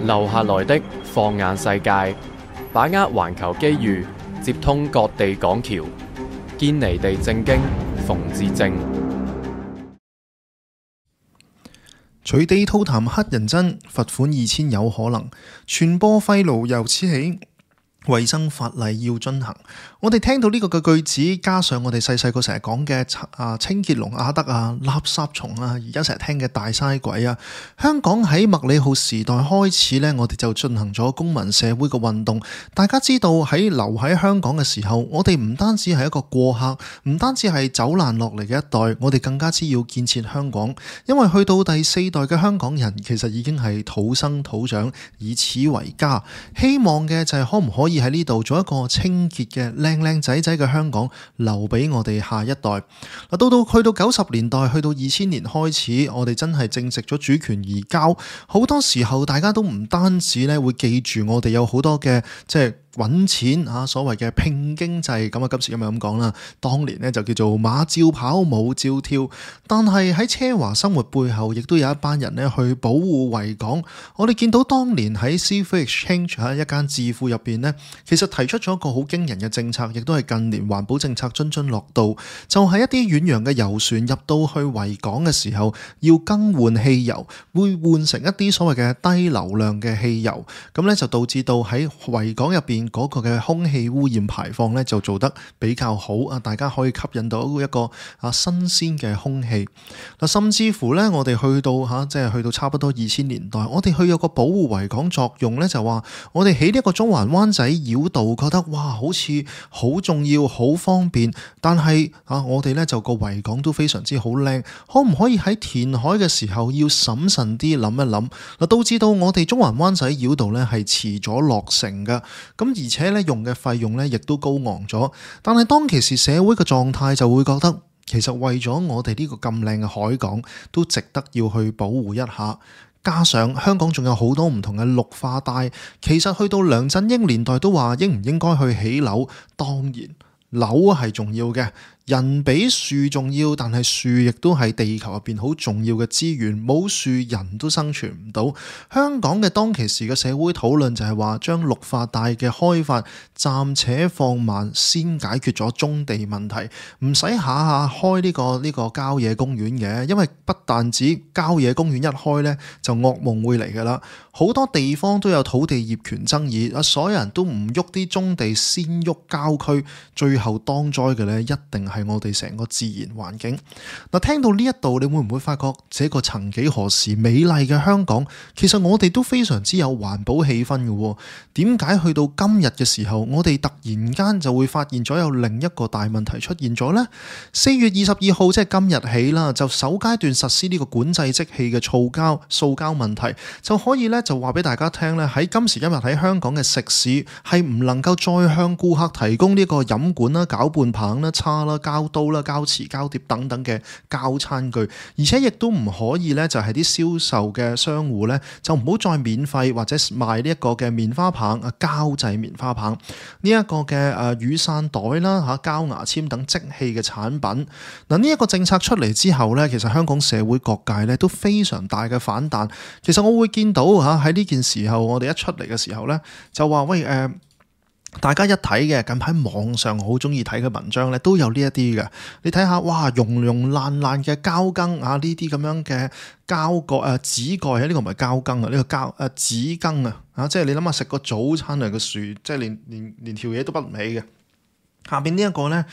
留下來的放眼世界，把握環球機遇，接通各地港橋，堅尼地正經，馮智政。隨地吐痰乞人憎，罰款2000有可能，傳播廢癆由此起。衛生法例要遵行。我哋聽到呢個嘅句子，加上我哋細細個成日講嘅清潔龍阿德啊、垃圾蟲啊，而家成日聽嘅大嘥鬼啊，香港喺麥理浩時代開始呢，我哋就進行咗公民社會嘅運動。大家知道喺留喺香港嘅時候，我哋唔單止係一個過客，唔單止係走難落嚟嘅一代，我哋更加之要建設香港。因為去到第4代嘅香港人，其實已經係土生土長，以此為家。希望嘅就係可唔可以喺呢度做一個清潔嘅靚靚仔仔嘅香港，留俾我哋下一代。去到90年代，去到2000年開始，我哋真係正式咗主權移交。好多時候大家都唔單止咧會記住我哋有好多嘅揾錢啊，所謂嘅拼經濟咁啊，今時今日咁講啦。當年呢就叫做馬照跑，舞照跳。但係喺奢華生活背後，亦都有一班人呢去保護維港。我哋見到當年喺 Seafood Exchange 一間智庫入邊呢，其實提出咗一個好驚人嘅政策，亦都係近年環保政策津津樂道。就係一啲遠洋嘅遊船入到去維港嘅時候，要更換汽油，會換成一啲所謂嘅低流量嘅汽油。咁呢就導致到喺維港入邊嗰個嘅空氣污染排放咧就做得比較好啊！大家可以吸引到一個新鮮嘅空氣。甚至乎咧，我哋去到差不多2000年代，我哋去有個保護維港作用咧，就話我哋起呢一個中環灣仔繞道，覺得哇，好似好重要、好方便。但係我哋咧就個維港都非常之好靚，可唔可以喺填海嘅時候要審慎啲諗一諗？導致到我哋中環灣仔繞道咧係遲咗落成嘅。咁而且咧用嘅費用咧亦都高昂咗，但係當其時社會嘅狀態就會覺得，其實為咗我哋呢個咁靚嘅海港，都值得要去保護一下。加上香港仲有好多唔同嘅綠化帶，其實去到梁振英年代都話應唔應該去起樓，當然樓係重要嘅。人比樹重要，但係樹亦都係地球入邊好重要嘅資源，冇樹人都生存唔到。香港嘅當其時嘅社會討論就係話，將綠化帶嘅開發暫且放慢，先解決咗棕地問題，唔使下下開呢個郊野公園嘅，因為不但止郊野公園一開呢，就噩夢會嚟㗎啦。好多地方都有土地業權爭議，所有人都唔喐啲棕地，先喐郊區，最後當災嘅呢，一定係我哋成個自然環境。聽到呢一度，你會唔會發覺這個曾幾何時美麗嘅香港，其實我哋都非常之有環保氣氛嘅？點解去到今日嘅時候，我哋突然間就會發現咗有另一個大問題出現咗呢？4月22號即係今日起啦，就首階段實施呢個管制即棄嘅塑膠問題，就可以咧就話俾大家聽咧，喺今時今日喺香港嘅食肆係唔能夠再向顧客提供呢個飲管啦、攪拌棒啦、叉啦、膠刀啦、膠匙、膠碟等等嘅膠餐具，而且亦都唔可以咧就係啲銷售嘅商戶咧就唔好再免費或者賣呢一個嘅棉花棒啊、膠製棉花棒呢一個嘅雨傘袋啦、膠牙籤等即棄嘅產品。呢一個政策出嚟之後咧，其實香港社會各界咧都非常大嘅反彈。其實我會見到喺呢件時候，我哋一出嚟嘅時候咧，就話喂大家一睇嘅近排網上好中意睇嘅文章咧，都有呢一啲嘅。你睇下，哇，溶爛嘅膠羹啊，呢啲咁樣嘅膠蓋紙蓋啊，呢個唔係膠羹啊，呢個紙羹啊，即係你諗下食個早餐啊個樹，即係連條嘢都不唔起嘅。下邊呢一個呢，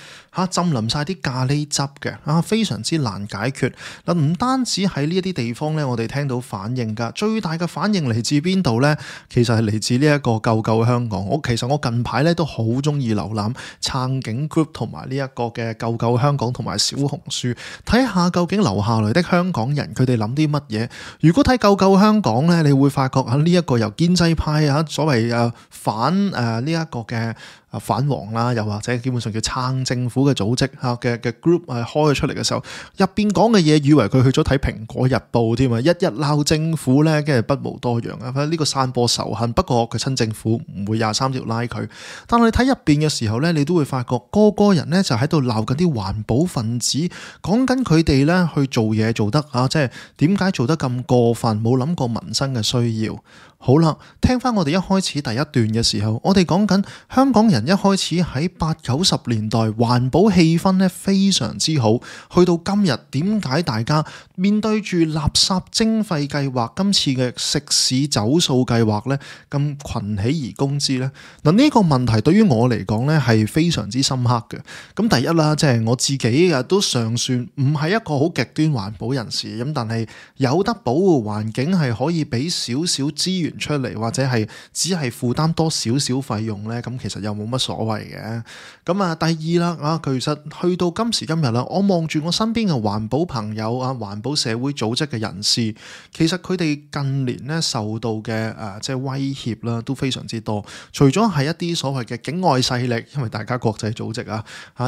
浸淋晒啲咖喱汁嘅非常之難解決。唔單止喺呢一啲地方呢，我哋聽到反應㗎，最大嘅反應嚟自邊度呢？其實係嚟自呢一個救救香港。其實我近排呢都好中意瀏覽撐警 group 同埋呢一個嘅救救香港同埋小紅書，睇下究竟留下來的香港人佢哋諗啲乜嘢。如果睇救救香港呢，你會發覺呢一個由建制派所謂反呢一個嘅反黃啦，又或者基本上叫撐政府嘅組織嘅 group 開咗出嚟嘅時候，入邊講嘅嘢以為佢去咗睇蘋果日報添啊，日日鬧政府咧，跟住不無多樣啊！呢個散播仇恨，不過佢親政府唔會23條拉佢，但係你睇入邊嘅時候咧，你都會發覺個人咧就喺度鬧緊啲環保分子，講緊佢哋咧去做嘢做得即係點解做得咁過分，冇諗過民生嘅需要。好啦，聽翻我哋一開始第一段嘅時候，我哋講緊香港人一開始喺80-90年代環保氣氛咧非常之好，去到今日點解大家面對住垃圾徵費計劃，今次嘅食肆走數計劃咧咁群起而攻之呢？嗱，呢個問題對於我嚟講咧係非常之深刻嘅。咁第一啦，即係我自己都尚算唔係一個好極端環保人士，咁但係有得保護環境係可以俾少少資源出嚟，或者係只係負擔多少少費用呢，咁其實又冇乜所謂嘅。咁第二啦，其實去到今時今日啦，我望住我身邊嘅環保朋友環保社會組織嘅人士，其實佢哋近年呢受到嘅即係威脅啦，都非常之多。除咗係一啲所謂嘅境外勢力，因為大家國際組織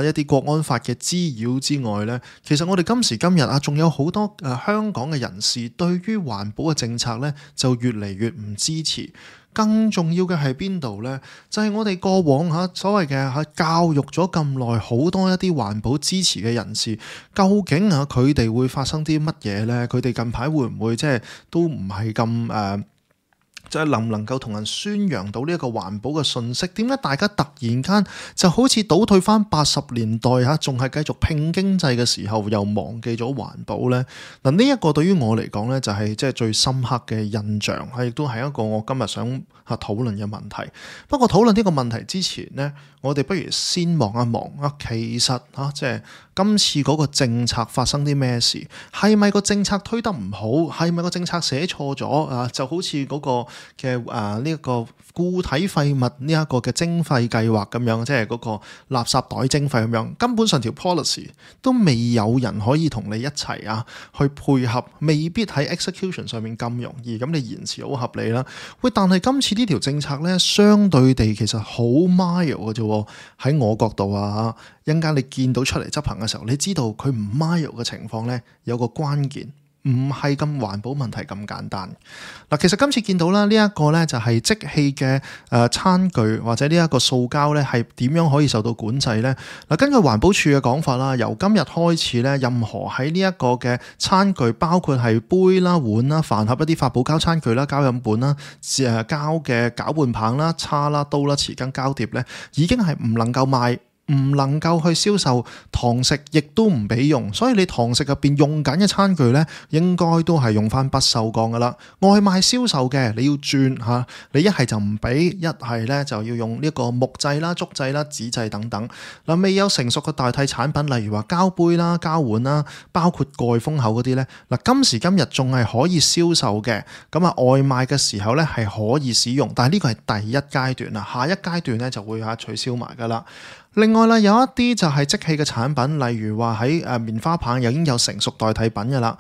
一啲國安法嘅滋擾之外呢，其實我哋今時今日仲有好多香港嘅人士對於環保嘅政策呢，就越嚟越唔支持。更重要嘅係邊度呢？就係我哋過往所謂嘅教育咗咁耐，好多一啲環保支持嘅人士，究竟佢哋會發生啲乜嘢呢？佢哋近排會唔會即係都唔係咁即係能唔能夠同人宣揚到呢一個環保嘅信息？點解大家突然間就好似倒退翻80年代仲係繼續拼經濟嘅時候，又忘記咗環保呢？嗱，呢一個對於我嚟講呢，就係即係最深刻嘅印象，亦都係一個我今日想討論嘅問題。不過討論呢個問題之前呢，我哋不如先望一望其實即係今次嗰個政策發生啲咩事？係咪個政策推得唔好？係咪個政策寫錯咗？就好似嗰個嘅呢一個固體廢物呢一個嘅徵費計劃咁樣，即係嗰個垃圾袋徵費咁樣，根本上條 policy 都未有人可以同你一齊去配合，未必喺 execution 上面咁容易。咁你延遲好合理啦。喂，但係今次呢條政策咧，相對地其實好 mild 嘅啫。喺我角度一陣間你見到出嚟執行嘅時候，你知道佢唔 mild 嘅情況咧，有個關鍵。唔係咁環保問題咁簡單。嗱，其實今次見到啦，呢一個咧就係即棄嘅餐具或者呢一個塑膠咧，係點樣可以受到管制咧？嗱，根據環保署嘅講法啦，由今日開始咧，任何喺呢一個嘅餐具，包括係杯啦、碗啦、飯盒一啲發泡膠餐具啦、膠飲本啦、膠嘅攪拌棒啦、叉啦、刀啦、匙羹、膠碟咧，已經係唔能夠賣。唔能夠去銷售，堂食亦都唔俾用，所以你堂食入邊用緊嘅餐具呢，應該都係用翻不鏽鋼噶啦。外賣銷售嘅你要轉你一係就唔俾，一係呢就要用呢個木製啦、竹製啦、紙製等等。嗱，未有成熟嘅代替產品，例如話膠杯啦、膠碗啦，包括蓋封口嗰啲呢。嗱，今時今日仲係可以銷售嘅，咁外賣嘅時候呢係可以使用，但係呢個係第一階段啦，下一階段呢就會取消埋噶啦。另外啦，有一啲就係即棄嘅產品，例如話喺棉花棒已經有成熟代替品嘅啦，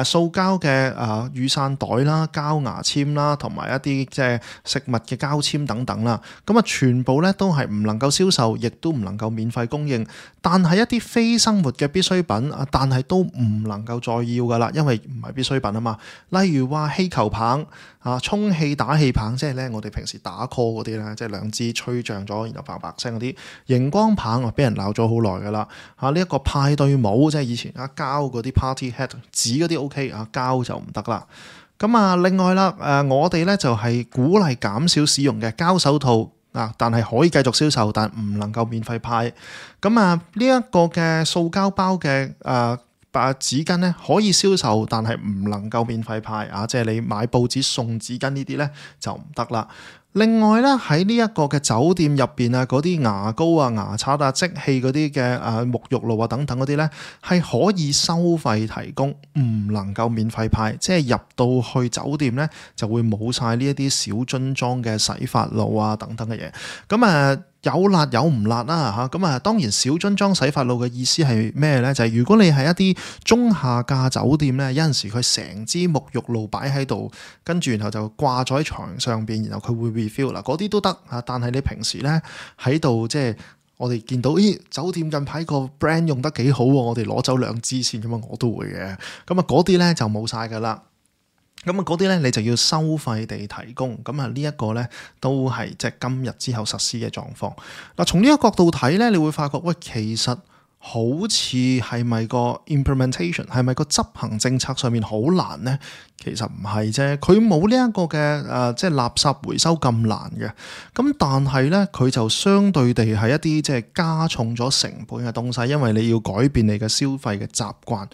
塑膠嘅雨傘袋啦、膠牙籤啦，同埋一啲即係食物嘅膠籤等等啦，咁全部咧都係唔能夠銷售，亦都唔能夠免費供應。但係一啲非生活嘅必需品，但係都唔能夠再要噶啦，因為唔係必需品啊嘛。例如話氣球棒充氣打氣棒，即係咧我哋平時打 call 嗰啲咧，即係兩支吹脹咗，然後白白聲嗰啲熒光棒俾人鬧咗好耐噶啦。呢一個派對帽，即係以前膠嗰啲 party hat 紙嗰啲 OK，膠就唔得啦。咁另外啦，我哋咧就係鼓勵減少使用嘅膠手套。但係可以繼續銷售，但唔能夠免費派。咁呢一個嘅塑膠包嘅紙巾咧可以銷售，但係唔能夠免費派。即係你買報紙送紙巾呢啲咧就唔得啦。另外咧喺呢一個嘅酒店入邊嗰啲牙膏牙刷即棄嗰啲嘅沐浴露等等嗰啲咧係可以收費提供，唔能夠免費派。即係入到去酒店咧就會冇晒呢一啲小樽裝嘅洗髮露等等嘅嘢。咁有辣有唔辣啦嚇，咁當然小樽裝洗髮露嘅意思係咩呢？就係如果你係一啲中下價酒店呢，有陣時佢成支沐浴露擺喺度，跟住然後就掛咗喺牆上邊，然後佢會 refill 嗱，嗰啲都得啊。但係你平時咧喺度即係我哋見到，咦，酒店近排個 brand 用得幾好喎，我哋攞走2支先咁啊，我都會嘅。咁啊嗰啲咧就冇晒噶啦。咁啊嗰啲咧你就要收費地提供。咁啊呢一個咧都係即係今日之後實施嘅狀況。嗱，從呢個角度睇咧，你會發覺喂，其實好似係咪個 implementation 係咪個執行政策上面好難呢？其實唔係啫，佢冇呢一個嘅即係垃圾回收咁難嘅。咁但係呢，佢就相對地係一啲即係加重咗成本嘅東西，因為你要改變你嘅消費嘅習慣。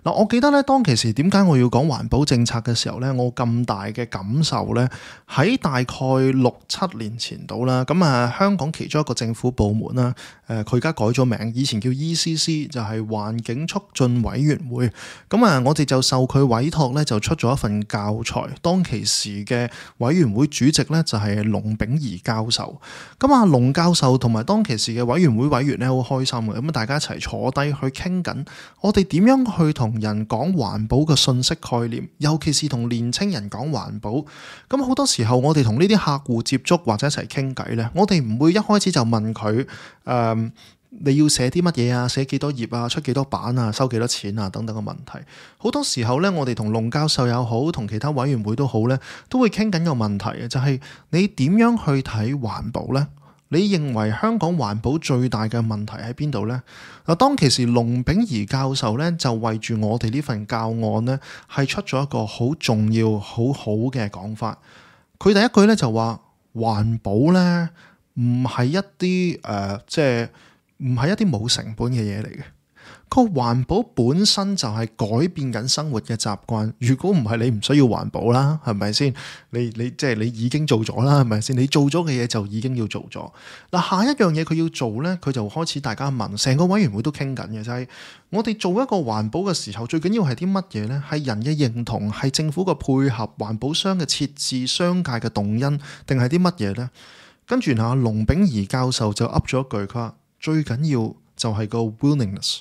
嗱，我記得咧當其時點解我要講環保政策嘅時候咧，我咁大嘅感受咧，喺大概6-7年前度啦。咁香港其中一個政府部門啦，佢而家改咗名，以前叫 ECC，就係環境促進委員會。咁我哋就受佢委託咧，就出咗一份教材。當其時嘅委員會主席咧就係龍炳儀教授。咁龍教授同埋當其時嘅委員會委員咧好開心嘅，咁大家一齊坐低去傾緊，我哋點樣去同人講環保嘅信息概念，尤其是同年青人講環保。咁好多時候我哋同呢啲客戶接觸或者一齊傾偈咧，我哋唔會一開始就問佢你要寫啲乜嘢啊，寫幾多頁啊，出幾多版啊，收幾多錢啊等等嘅問題。好多時候咧，我哋同龍教授又好，同其他委員會都好咧，都會傾緊個問題嘅，就係你點樣去睇環保咧？你認為香港環保最大嘅問題喺邊度呢？嗱，當其時龍炳儀教授咧就為住我哋呢份教案咧，係出咗一個好重要、好好嘅講法。佢第一句咧就話環保咧唔係一啲即係唔係一啲冇成本嘅嘢嚟嘅。個環保本身就係改變緊生活嘅習慣。如果唔係，你唔需要環保啦，係咪先？你即係你已經做咗啦，係咪先？你做咗嘅嘢就已經要做咗。嗱，下一樣嘢佢要做咧，佢就開始大家問，成個委員會都傾緊嘅就係我哋做一個環保嘅時候，最緊要係啲乜嘢咧？係人嘅認同，係政府嘅配合，環保商嘅設置，商界嘅動因，定係啲乜嘢咧？跟住龍炳儀教授就噏咗一句，佢話最緊要就係個 willingness。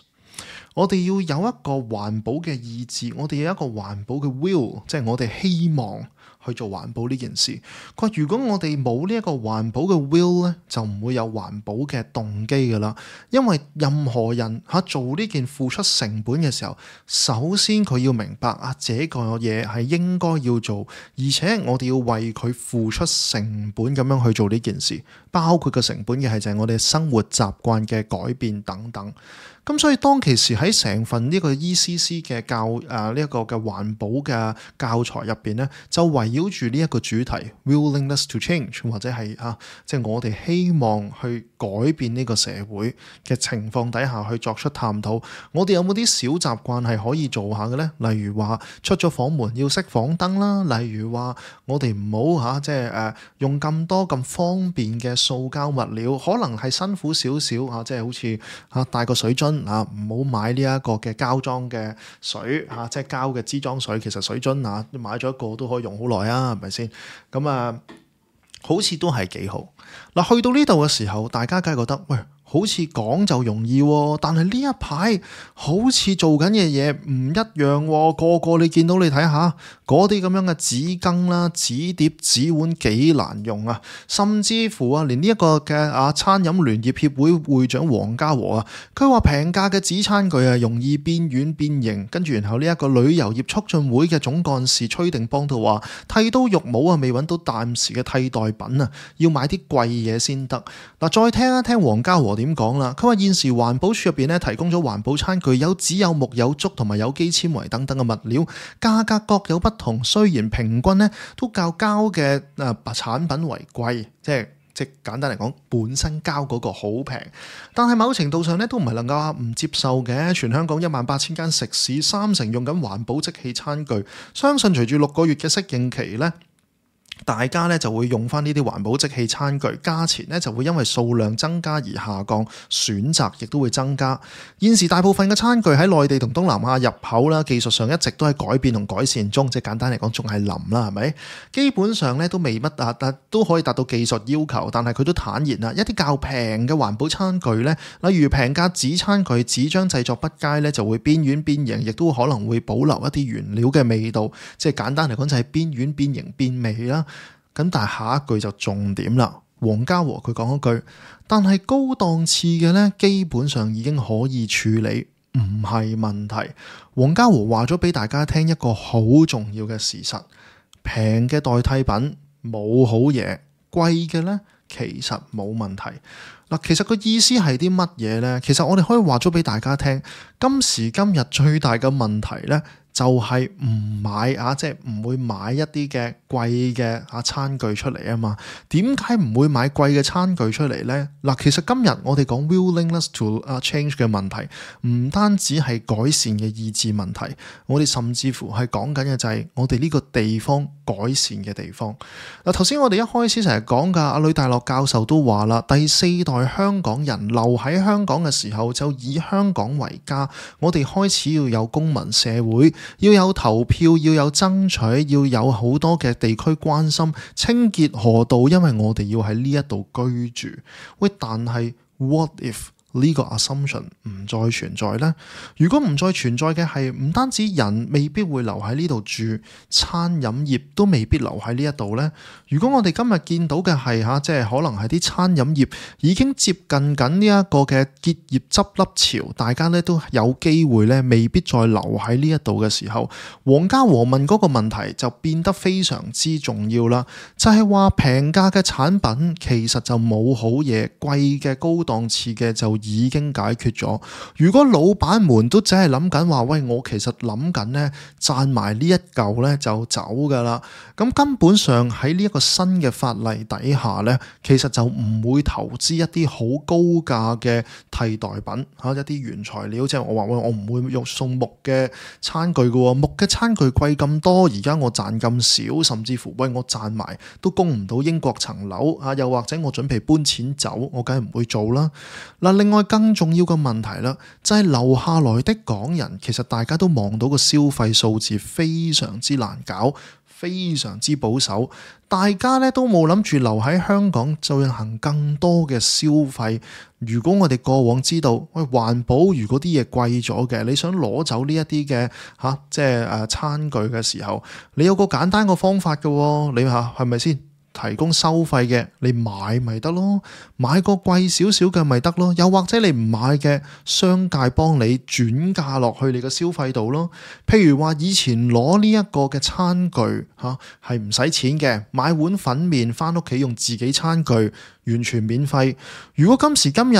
我哋要有一個環保嘅意志，我哋有一個環保嘅 will， 即係我哋希望去做環保呢件事。佢話如果我哋冇呢一個環保嘅 will 咧，就唔會有環保嘅動機噶啦。因為任何人做呢件付出成本嘅時候，首先佢要明白這個嘢係應該要做，而且我哋要為佢付出成本咁樣去做呢件事，包括個成本嘅係就係我哋生活習慣嘅改變等等。咁所以當其時喺成份呢個 ECC 嘅呢一個嘅環保嘅教材入邊咧，就圍繞住呢一個主題 willingness to change， 或者係即係我哋希望去改變呢個社會嘅情況底下去作出探討。我哋有冇啲小習慣係可以做下嘅咧？例如話出咗房門要熄房燈啦，例如話我哋唔好即係用咁多咁方便嘅塑膠物料，可能係辛苦少少即係好似帶個水樽。唔好買呢一個嘅膠裝嘅水即係膠嘅支裝水。其實水樽買咗一個都可以用好耐啊，係咪先？咁好似都係幾好。嗱，去到呢度嘅時候，大家梗係覺得喂，好似講就容易喎，但係呢一排好似做緊嘅嘢唔一樣喎。個個你見到你睇下嗰啲咁樣嘅紙巾啦、紙碟、紙碗幾難用啊！甚至乎連呢一個嘅餐飲聯業協會會長黃家和佢話平價嘅紙餐具容易變軟變形。跟住然後呢一個旅遊業促進會嘅總幹事崔定邦都話剃刀肉帽未揾到暫時嘅替代品要買啲貴嘢先得。嗱，再聽一聽黃家和點講啦。佢話現時環保署入邊提供咗環保餐具，有紙有木有竹同埋有機纖維等等嘅物料，價格各有不同。雖然平均都較膠嘅產品為貴，即簡單嚟講，本身膠嗰個好平，但係某程度上都唔係能夠唔接受嘅。全香港18000間食肆，30%用緊環保即棄餐具，相信隨住6個月嘅適應期大家就會用翻呢啲環保即棄餐具，價錢就會因為數量增加而下降，選擇亦都會增加。現時大部分嘅餐具喺內地同東南亞入口啦，技術上一直都喺改變同改善中，即係簡單嚟講仲係臨啦，係咪？基本上都未乜都可以達到技術要求，但係佢都坦言一啲較平嘅環保餐具例如平價紙餐具，紙張製作不佳就會變軟變形，亦都可能會保留一啲原料嘅味道，即係簡單嚟講就係變軟變形變味啦。咁但係下一句就重點啦。黃家和佢講一句，但係高檔次嘅呢，基本上已經可以處理，唔係問題。黃家和話咗俾大家聽一個好重要嘅事實，平嘅代替品冇好嘢，貴嘅呢其實冇問題。嗱，其實個意思係啲乜嘢呢？其實我哋可以話咗俾大家聽，今時今日最大嘅問題呢，就係唔買即係唔會買一啲嘅貴嘅餐具出嚟啊嘛。點解唔會買貴嘅餐具出嚟呢？嗱，其實今日我哋講 willingness to change 嘅問題，唔單止係改善嘅意志問題，我哋甚至乎係講緊嘅就係我哋呢個地方改善嘅地方。嗱，頭先我哋一開始成日講噶，阿呂大樂教授都話啦，第四代香港人留喺香港嘅時候就以香港為家，我哋開始要有公民社會。要有投票，要有爭取，要有好多嘅地區關心，清潔河道，因為我哋要喺呢一度居住。喂，但係 what if 呢個 assumption 唔再存在呢？如果唔再存在嘅係唔單止人未必會留喺呢度住，餐飲業都未必留喺呢一度呢？如果我哋今日見到嘅係即係可能係啲餐飲業已經接近緊呢一個嘅結業執笠潮，大家咧都有機會咧未必再留喺呢一度嘅時候，黃家和問嗰個問題就變得非常之重要啦。就係話平價嘅產品其實就冇好嘢，貴嘅高檔次嘅就已經解決咗。如果老闆們都只係諗緊話，喂，我其實諗緊咧賺埋呢一嚿咧就走噶啦，咁根本上喺呢一個新嘅法例底下咧，其實就唔會投資一啲好高價嘅替代品一啲原材料，即係我話喂，我唔會用送木嘅餐具嘅，木嘅餐具貴咁多，而家我賺咁少，甚至乎喂我賺埋都供唔到英國層樓又或者我準備搬錢走，我梗係唔會做啦。嗱，另外更重要嘅問題啦，就係留下來的港人，其實大家都望到個消費數字非常之難搞，非常之保守，大家咧都冇諗住留喺香港進行更多嘅消費。如果我哋過往知道，喂，環保如果啲嘢貴咗嘅，你想攞走呢一啲嘅即係餐具嘅時候，你有個簡單個方法嘅，你係咪先？提供收費嘅，你買咪得咯，買個貴少少嘅咪得咯，又或者你唔買嘅，商界幫你轉嫁落去你嘅消費度咯。譬如話以前攞呢一個嘅餐具係唔使錢嘅，買碗粉麵返屋企用自己餐具完全免費。如果今時今日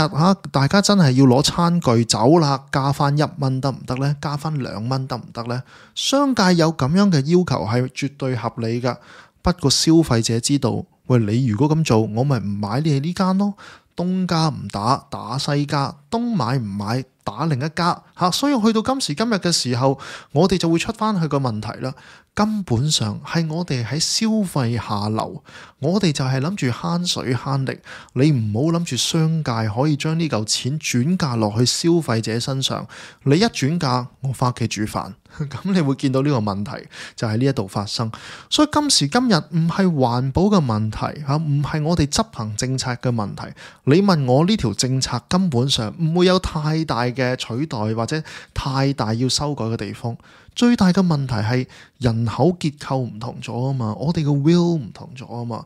大家真係要攞餐具走啦，加返1蚊得唔得呢？加返2蚊得唔得呢？商界有咁樣嘅要求係絕對合理㗎。不過消費者知道，喂，你如果咁做，我咪唔買你呢間咯。東家唔打，打西家；東買唔買，打另一家。所以去到今時今日嘅時候，我哋就會出翻去個問題啦。根本上係我哋喺消費下流，我哋就係諗住慳水慳力。你唔好諗住商界可以將呢嚿錢轉嫁落去消費者身上。你一轉嫁，我翻屋企煮飯，咁你會見到呢個問題就喺呢一度發生。所以今時今日唔係環保嘅問題，唔係我哋執行政策嘅問題。你問我呢條政策根本上唔會有太大嘅取代或者太大要修改嘅地方。最大嘅問題係人口結構唔同咗啊嘛，我哋嘅 will 唔同咗啊嘛，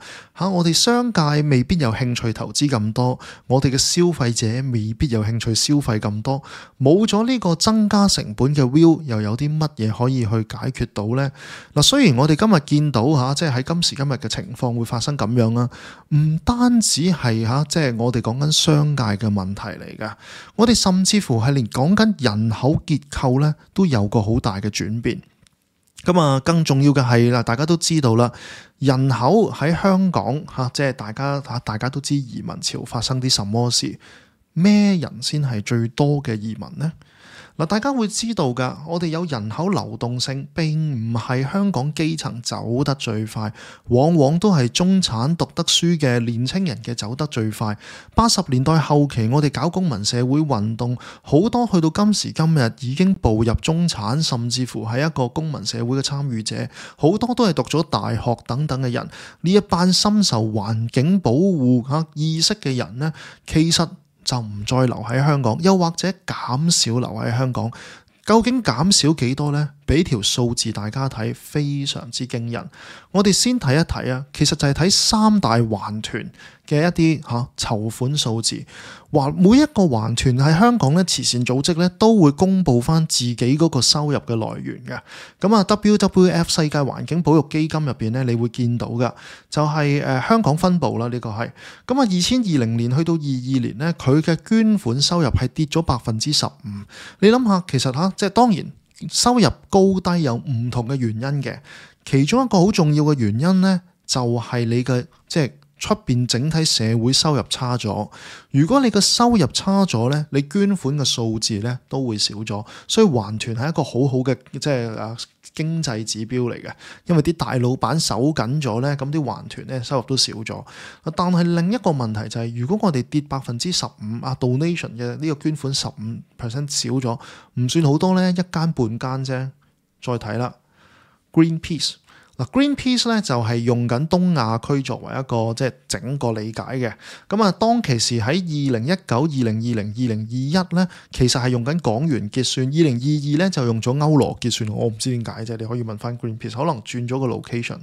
我哋商界未必有興趣投資咁多，我哋嘅消費者未必有興趣消費咁多，冇咗呢個增加成本嘅 will， 又有啲乜嘢可以去解決到呢？嗱，雖然我哋今日見到即係喺今時今日嘅情況會發生咁樣啦，唔單止係即係我哋講緊商界嘅問題嚟噶，我哋甚至乎係連講緊人口結構咧都有個好大嘅轉變。咁啊，更重要嘅係啦，大家都知道啦，人口喺香港即係大家都知移民潮發生啲什麼事，咩人先係最多嘅移民呢？嗱，大家會知道㗎，我哋有人口流動性，並唔係香港基層走得最快，往往都係中產讀得書嘅年青人嘅走得最快。80年代後期，我哋搞公民社會運動，好多去到今時今日已經步入中產，甚至乎係一個公民社會嘅參與者，好多都係讀咗大學等等嘅人。呢一班深受環境保護意識嘅人呢，其實就唔再留喺香港，又或者減少留喺香港。究竟減少幾多呢？俾條數字大家睇，非常之驚人。我哋先睇一睇啊，其實就係睇三大環團嘅一啲籌款數字。每一個環團喺香港咧，慈善組織咧都會公布翻自己嗰個收入嘅來源嘅。咁啊 WWF 世界環境保育基金入邊咧，你會見到噶，就係香港分部啦，呢個係。咁啊2020年去到22年咧，佢嘅捐款收入係跌咗15%。你諗下，其實即係當然收入高低有唔同嘅原因嘅，其中一個好重要嘅原因咧，就係你嘅即係出邊整體社會收入差咗。如果你嘅收入差咗咧，你捐款嘅數字咧都會少咗。所以環團係一個好好嘅即係經濟指標嚟嘅，因為啲大老闆手緊咗咧，咁啲環團咧收入都少咗。但係另一個問題就係，如果我哋跌15%donation 嘅呢個捐款15% 少咗，唔算好多咧，一間半間啫。再睇啦 ，Greenpeace。Greenpeace 咧就係用緊東亞區作為一個即係整個理解嘅。咁啊，當其時喺2019、2020、2021咧，其實係用緊港元結算，2022咧就用咗歐羅結算。我唔知點解啫，你可以問翻 Greenpeace， 可能轉咗個 location。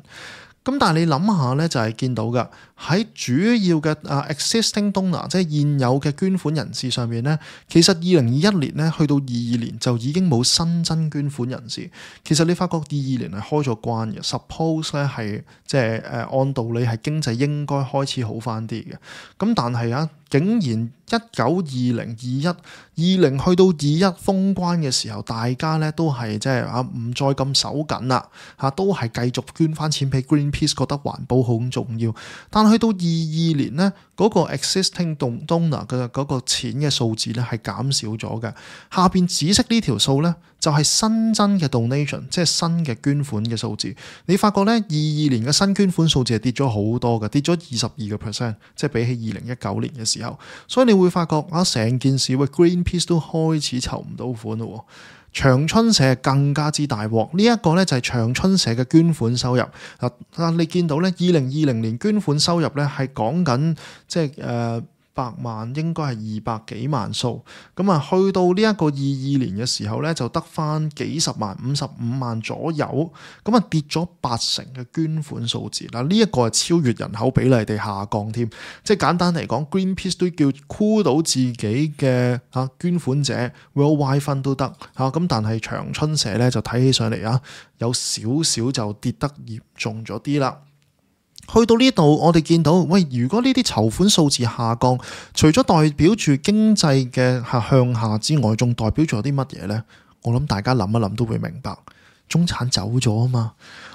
咁但係你諗下咧，就係見到㗎喺主要嘅existing donor， 即係現有嘅捐款人士上面咧，其實2021年咧去到22年就已經冇新增捐款人士。其實你發覺22年係開咗關嘅 ，suppose 咧係即係按道理係經濟應該開始好翻啲嘅。咁但係竟然19、20、21、20去到21封關嘅時候，大家咧都係即係唔再咁手緊啦，都係繼續捐翻錢俾 Greenpeace， 覺得環保好重要。但去到22年咧，嗰個 existing donor 嘅嗰個錢嘅數字咧係減少咗嘅。下邊紫色呢條數咧就係新增嘅 donation， 即係新嘅捐款嘅數字。你發覺咧22年嘅新捐款數字係跌咗好多嘅，跌咗22%，即係比起2019年嘅時候。所以你會發覺成件事Greenpeace 都開始籌唔到款咯。長春社更加之大鑊，呢一個咧就係長春社嘅捐款收入。你見到咧2020年捐款收入咧係講緊即係100萬，應該係200幾萬數。咁啊，去到呢一個22年嘅時候咧，就得翻幾十萬、55萬左右。咁啊，跌咗80%嘅捐款數字。嗱，呢一個係超越人口比例地下降添。即係簡單嚟講 ，Greenpeace 都叫箍到自己嘅捐款者 Worldwide Fund 都得嚇。咁但係長春社咧就睇起上嚟有少少就跌得嚴重咗啲啦。去到呢度，我哋見到，如果呢啲籌款數字下降，除咗代表住經濟嘅向下之外，仲代表咗啲乜嘢呢？我諗大家諗一諗都會明白，中產走咗啊嘛。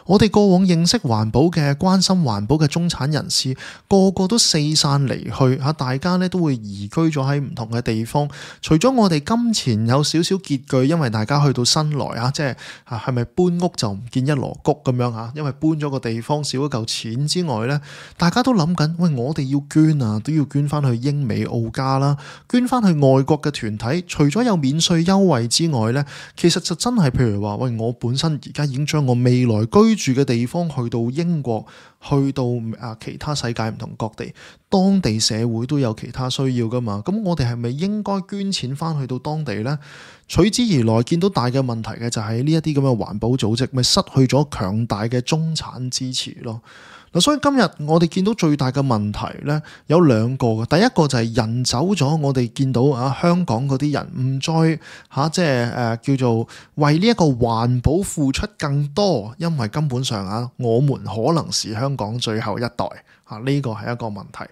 我哋過往認識環保嘅、關心環保嘅中產人士，個個都四散離去，大家咧都會移居咗喺唔同嘅地方。除咗我哋金錢有少少拮據，因為大家去到新來即係係咪搬屋就唔見一籮穀咁樣因為搬咗個地方少咗嚿錢之外咧，大家都諗緊，我哋要捐都要捐翻去英美澳加啦，捐翻去外國嘅團體。除咗有免稅優惠之外咧，其實就真係譬如話，我本身而家已經將我未來居住嘅地方去到英國，去到其他世界唔同各地，當地社會都有其他需要噶嘛。咁我哋係咪應該捐錢翻去到當地呢？隨之而來見到大嘅問題嘅就係呢一啲咁嘅環保組織咪失去咗強大嘅中產支持咯。所以今日我哋見到最大嘅問題呢，有兩個嘅。第一個就係人走咗，我哋見到香港嗰啲人唔再即係叫做為呢一個環保付出更多，因為根本上我們可能是香港最後一代。呢個係一個問題。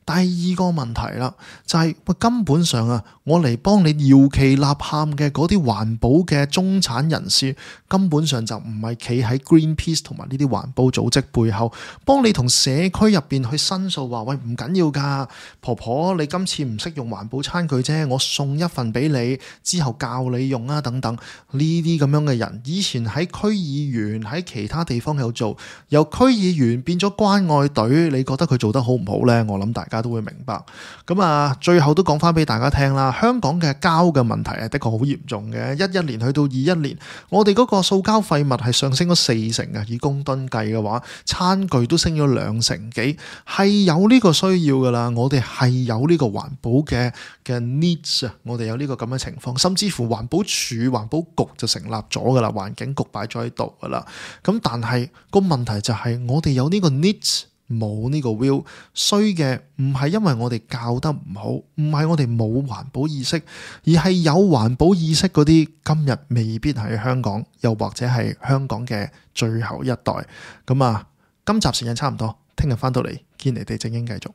第二個問題啦，就係根本上我嚟幫你搖旗吶喊嘅嗰啲環保嘅中產人士，根本上就唔係企喺 Greenpeace 同埋呢啲環保組織背後，幫你同社區入邊去申訴話，唔緊要㗎，婆婆你今次唔識用環保餐具啫，我送一份俾你，之後教你用等等。呢啲咁樣嘅人，以前喺區議員喺其他地方有做，由區議員變咗關愛隊，你覺得佢做得好唔好呢？我諗大家都會明白。咁最後都講翻俾大家聽啦，香港嘅膠嘅問題係的確好嚴嚴重嘅，11年去到21年，我哋嗰個塑膠廢物係上升咗4成啊！以公噸計嘅話，餐具都升咗2成幾，係有呢個需要噶啦。我哋係有呢個環保嘅 needs 啊，我哋有呢個咁嘅情況，甚至乎環保署、環保局就成立咗噶啦，環境局擺咗喺度噶啦。咁但係個問題就係我哋有呢個 needs，冇呢個 will， 衰嘅唔係因為我哋教得唔好，唔係我哋冇環保意識，而係有環保意識嗰啲今日未必喺香港，又或者係香港嘅最後一代。咁啊，今集時間差唔多，聽日翻到嚟堅尼地正經繼續。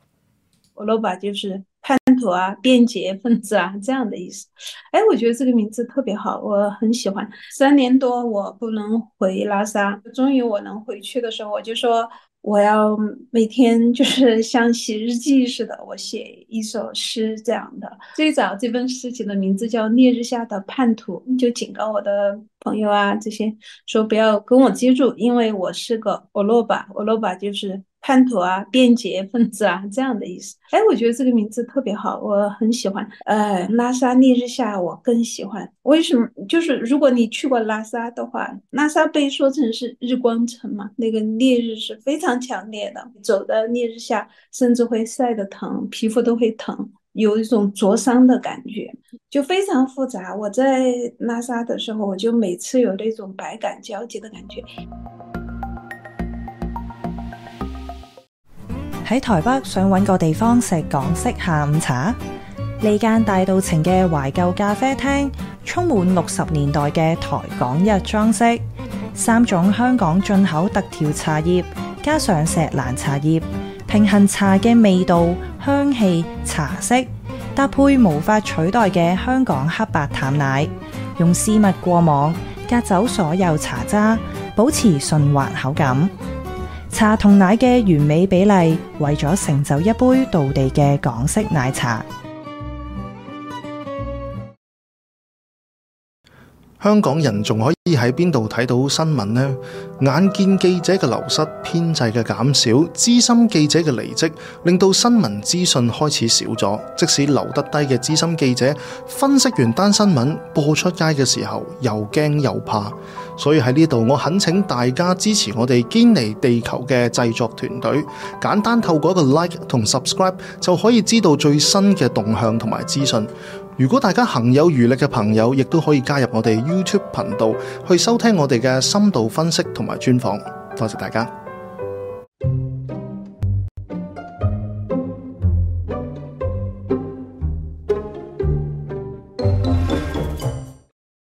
歐羅巴就是叛徒啊、便捷分子啊這樣的意思。我覺得這個名字特別好，我很喜歡。3年多我不能回拉薩，終於我能回去的時候，我就說我要每天就是像寫日記似的，我寫一首詩這樣的。最早這本詩起的名字叫《烈日下的叛徒》，就警告我的朋友啊這些說不要跟我接觸，因為我是個歐羅巴，歐羅巴就是叛徒啊、便捷分子啊這樣的意思。我覺得這個名字特別好，我很喜歡。拉薩烈日下我更喜歡。為什麼？就是如果你去過拉薩的話，拉薩被說成是日光城嘛，那個烈日是非常強烈的，走在烈日下甚至會曬得疼，皮膚都會疼，有一種灼傷的感覺，就非常複雜。我在拉薩的時候，我就每次有那種百感交集的感覺。喺台北想揾個地方食港式下午茶，呢間大稻埕嘅懷舊咖啡廳充滿60年代嘅台港日裝飾，3種香港進口特調茶葉加上錫蘭茶葉，平衡茶嘅味道、香氣、茶色，搭配無法取代嘅香港黑白淡奶，用絲襪過網隔走所有茶渣，保持順滑口感。茶同奶嘅完美比例，為咗成就一杯道地嘅港式奶茶。香港人仲可以喺邊度睇到新聞呢？眼見記者嘅流失、編制嘅減少、資深記者嘅離職，令到新聞資訊開始少咗。即使留得低嘅資深記者，分析完單新聞播出街嘅時候，又驚又怕。所以喺呢度，我懇請大家支持我哋堅尼地球嘅製作團隊，簡單透過一個 like 同 subscribe 就可以知道最新嘅動向同埋資訊。如果大家行有餘力嘅朋友，亦都可以加入我哋 YouTube 頻道去收聽我哋嘅深度分析同埋專訪。多謝大家。